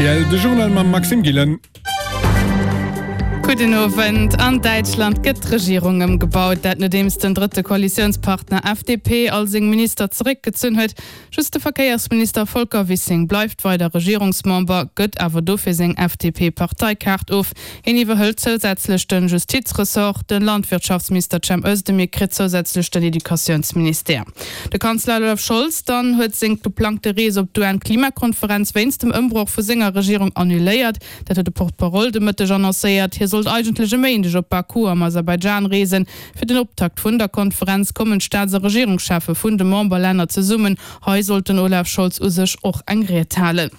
Rtl, de Journal mam Maxime Gillen. Gudden Owend. An Däitschland gëtt d'Regierung ëmgebaut. Dat nodeems den drëtte Koalitiounspartner FDP all seng Minister zeréckgezunn huet. Just de Verkéiersminister Volker Wissing bleift weider Regierungsmember, gëtt awer dofir seng FDP-Parteikaart of. Hien iwwerhëlt zousätzlech de Justizressort. De Landwirtschaftsminister Cem Özdemir kritt zousätzlech den Educatiounsministère. De Kanzler Olaf Scholz dann huet seng geplangte Rees op d'UN-Klimakonferenz wéinst dem Ëmbroch vu senger Regierung annuléiert. Dat huet de Porte-parole de Mëtteg annoncéiert. Hie sollt eigentlech e Méindeg op Baku am Aserbaidschan reesen. Fir den Optakt vun der Konferenz kommen d'Staats a Regierungscheffe vun de Memberlänner zesummen. Hei sollt den Olaf Scholz u sech och eng Ried halen.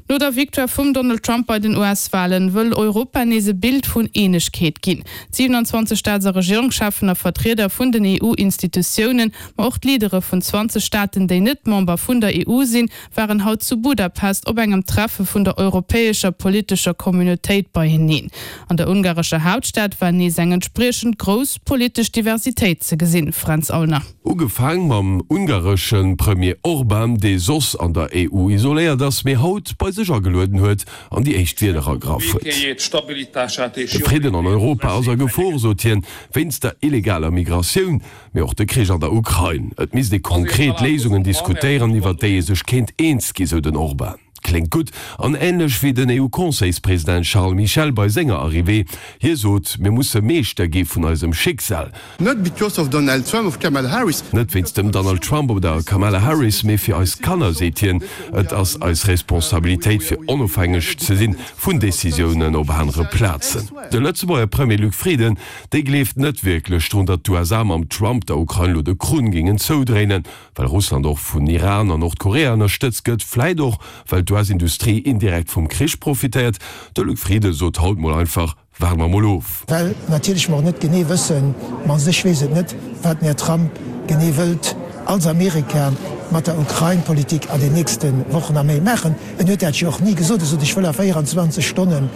No der Victoire vum Donald Trump bei den US-Walen wëll Europa nees e Bild vun Eenegkeet ginn. D'27 Staats a Regierungscheffen a Vertrieder vun den EU-Institutiounen, ma och d'Leadere vun 20 Staaten, déi net Member vun der EU sinn, waren haut zu Budapest op engem Treffe vun der europäescher politescher Communautéit beieneen. An der ungarescher Haaptstad war nees eng entspriechend grouss politesch Diversitéit ze gesinn. Fränz Aulner. Ugefaang mam ungaresche Premier Orban, dee soss an der EU isoléiert ass, mee haut bei sech agelueden huet an déi éischt Wierder ergraff huet. De Fridden an Europa ass a Gefor, sot hien, wéinst der illegaler Migratioun. Mee och de Krich an der Ukrain. Et misst ee konkret Léisungen diskutéieren, iwwer déi ee sech kéint eens gi, sou den Orban. Kléngt gutt an änlech wéi den EU-Conseilspresident Charles Michel bei senger Arrivée. Hie sot, Mir musse Meeschter gi vun eisem Schicksal. Not because of Donald Trump of Kamala Harris. Net wéinst dem Donald Trump oder Kamala Harris, mee fir eis Kanner, seet hien. Et ass eis Responsabilitéit, fir onofhängeg ze sinn vun Decisiounen op anere Plazen. De Lëtzebuerger Premier Luc Frieden Déi gleeft net wierklech drun, datt d'USA mam Trump der Ukrain lo de Krunn géingen zoudréinen, well Russland och vun Iran a Nordkorea ënnerstëtzt gëtt, vläit och well d'US-Industrie indirekt vum Krich profitéiert. De Luc Frieden sot haut mol einfach, Waarde mer mol of. Well natierlech mer och net genee wëssen, mannst ech weess et net, wat den Här Trump genee wëllt als Amerika mat der Ukrain-Politik an den nächste Wochen a Méint maachen. En huet dat jo och ni gesot. E sot, ech wëll a 24 Stonnen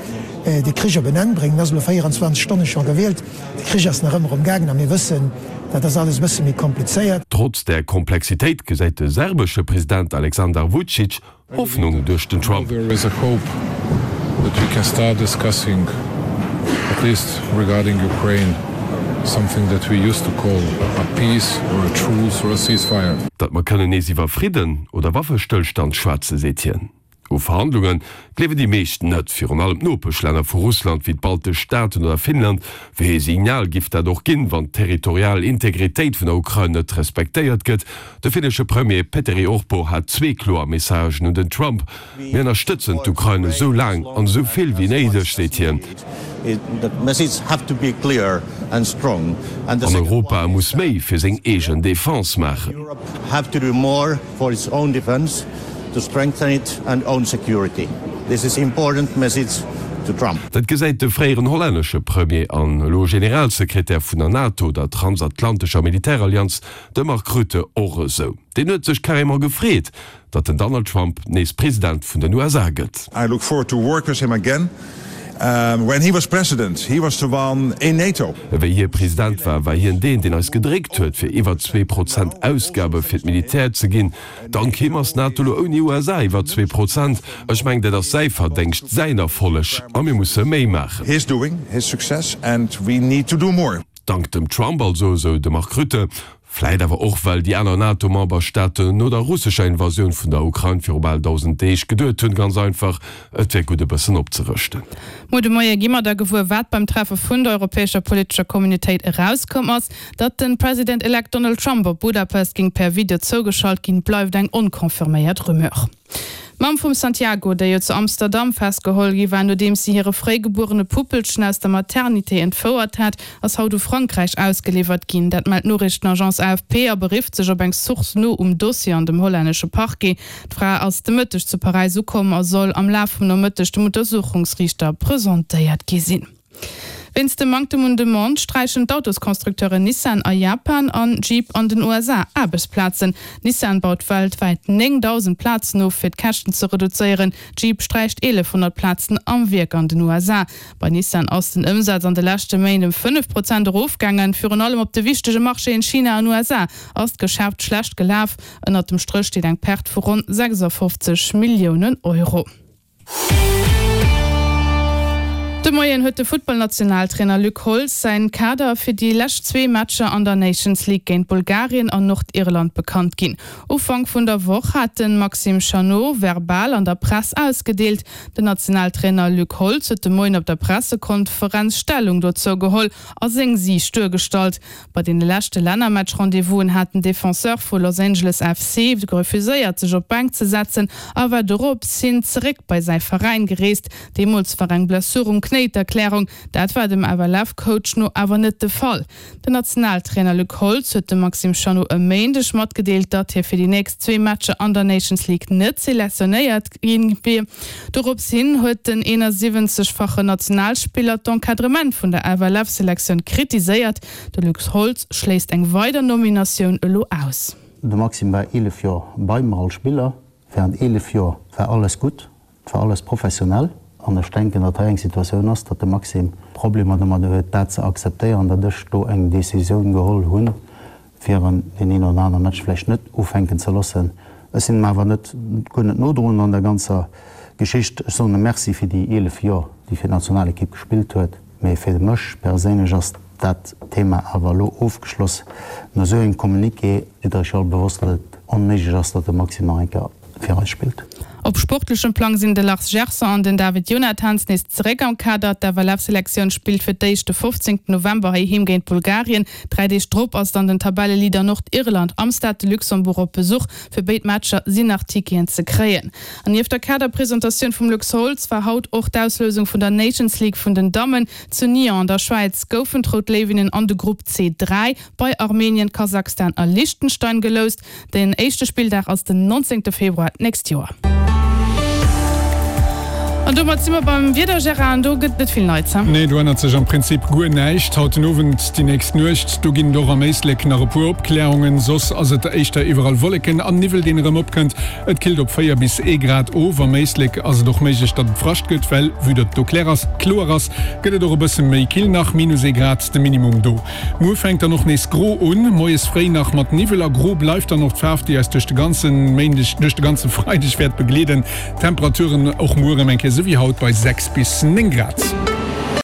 de Krich op en Enn bréngen. En ass elo 24 Stonne scho gewielt. De Krich ass nach ëmmer um gaangen a mir wëssen, dat ass alles e bësse méi komplizéiert. Trotz där Komplexitéit gesäit de serbesche President Aleksandar Vucic Hoffnung duerch den Trump. Datt mer kënnen nees iwwer Fridden oder Waffestëllstand schwätzen, seet hien. U Verhandlunge gleewen déi meescht net, virun allem d'Nopeschlänner vu Russland wéi d'baltesch Staaten oder Finnland. Wéi ee Signal giff dat och ginn, wann d'territorial Integritéit vun der Ukrain net respektéiert gëtt? De finnesche Premier Petteri Orpo hat zwee kloer Messagen un den Trump, Mir ënnerstëtzen d'Ukrain esou laang an esou vill wéi néideg, seet hien. An Europa muss méi fir seng eegen Defense maachen. Dat gesäit de fréieren hollännesche Premier an elo Generalsekretär vun der NATO, der transatlantescher Militärallianz, de Mark Rutte och esou. Deen huet sech carrément gefreet, datt den Donald Trump nees President vun den USA gëtt. I look forward to work with him again. When he was president, he was the one in NATO. Wéi hie President war, war hien deen, deen eis gedréckt huet, fir iwwer 2% Ausgabe fir d'Militär ze ginn. Dank him ass d'NATO lo ouni USA iwwer 2%. Ech mengen, dat ass säi Verdéngscht, säin Erfolleg, a mir musse méi maachen. His doing, his success, and we need to do more. Dank dem Trump also, esou de Mark Rutte. Vläit awer och, well déi aner NATO-Memberstaaten no der russescher Invasioun vun der Ukrain viru bal 1.000 Deeg geduet hunn, ganz einfach, et wär gutt e bëssen opzerëschten. Muer de Moie gi mer da gewuer, wat beim Treffe vun der europäescher politescher Communautéit erauskomm ass. Datt den President-elect Donald Trump op Budapest géing per Video zougeschalt ginn, bleift eng onconfirméiert Rumeur. D'Mamm vum Santiago, déi jo zu Amsterdam festgeholl gi war, nodeems si hire fréi gebuerene Puppelchen aus der Maternité entfouert hat, ass haut u Frankräich ausgeliwwert ginn. Dat mellt d'Noriichtenagence AFP a berifft sech op eng Source no um Dossier an dem hollännesche Parquet. D'Fra ass de Mëtteg zu Paräis ukomm a soll am Laf vum Nomëtteg dem Untersuchungsriichter presentéiert gi sinn. Wéinst dem Manktem un Demande sträichen d'Autosconstructeuren Nissan a Japan an Jeep an den USA Aarbechtsplazen. Nissan baut weltwäit 9.000 Plazen of, fir d'Käschten ze reduzéieren. Jeep sträicht 1.100 Plazen am Wierk an den USA. Bei Nissan ass den Ëmsaz an de leschte Méint ëm 5 Prozent erofgaangen. Virun allem op de wichtege Marchéen China an USA ass d'Geschäft schlecht gelaf. Ënnert dem Stréch steet eng Perte vu ronn 56 Milliounen Euro. De Moien huet de Futtballnationaltrainer Luc Holtz säin Kader fir déi lescht zwee Matcher an der Nations League géint Bulgarien an Nordirland bekannt ginn. Ufank vun der Woch hat de Maxime Chanot verbal an der Press ausgedeelt. Den Nationaltrainer Luc Holtz huet de Moien op der Pressekonferenz Stellung dozou geholl a seng Siicht duergestallt. Bei deene leschte Lännermatch-Rendez-vousen hat den Defenseur vu Los Angeles FC refuséiert, sech op d'Bänk ze setzen a war dorops hin zeréck bei säi Veräin gereest. Deemools war eng Blessur um Knéi d'Erklärung. Dat war dem FLF-Coach no awer net de Fall. Den Nationaltrainer Luc Holtz huet dem Maxime Chanot e Méindeg matgedeelt, datt hie fir déi nächst zwee Matcher an der Nations League net selektionéiert gi wier. Dorops hin huet den 71-fachen Nationalspiller d'Encadrement vun der FLF-Selektioun kritiséiert. De Luc Holtz schléisst eng weider Nominatioun elo aus. De Maxime war 11 Joer bei mer als Spiller. Während 11 Joer war alles gutt, et war alles professionell. An ech denken, datt hei eng Situatioun ass, datt de Maxime Problemer domadder huet, dat ze akzeptéieren, datt ech do eng Decisioun geholl hunn, fir en deen een oder anere Match vläicht net ufänken ze loossen. Ech sinn em awer net, guer net nodroen an der ganzer Geschicht. Ech soen em Merci fir déi 11 Joer, déi fir d'Nationalekipp gespillt huet. Mee fir mech perséinlech ass dat Thema awer elo ofgeschloss. No esou engem Communiqué sidd der iech jo all bewosst, datt et onméiglech ass, datt de Maxime nach eng Kéier fir eis spillt. Op sportlechem Plang sinn de Lars Gerson an den David Jonathans nees zeréck am Kader. D'FLF-Selektioun spillt fir d'éischt de 15 November heiheem géint Bulgarien. Dräi Deeg drop ass dann den Tabelleleader Nordirland am Stade de Luxembourg op Besuch. Fir béid Matcher sinn nach Ticketen ze kréien. An nieft der Kaderpresentatioun vum Luc Holtz war haut och d'Auslousung vun der Nations League vun den Dammen. Zu Nyon an der Schwäiz goufen d'Rout Léiwinnen an de Grupp C3 bei Armenien, Kasachstan a Liechtenstein geloust. Den éischte Spilldag ass den 19 Februar d'nächst Joer. An domat si mer beim Wieder, Gérard, an do gëtt net vill Neits, he? Nee, do ännert sech am Prinzip guer näischt. Haut den Owend, déi nächst Nuecht, do ginn et och am Éislek nach e puer Opklärungen, soss ass et éischter iwwerall Wolleken an Niwwel, deen erëm opkënnt. Et killt op 4 bis ee Grad of. Am Éislek ass et och méiglech, datt et Frascht gëtt, well vue datt et do klär ass, kloer ass, gëtt et och e bësse méi kill nach, minus ee Grad de Minimum do. Muer fänkt dann och nees gro un, moies fréi nach mat Niwwel a gro bleift dann och d'Faarf, déi eis duerch de ganze Méindeg, duerch de ganze Freideg wäert begleeden. Temperaturen och muer erëm eng Kéier esou wéi haut bei 6 bis 9 Grad.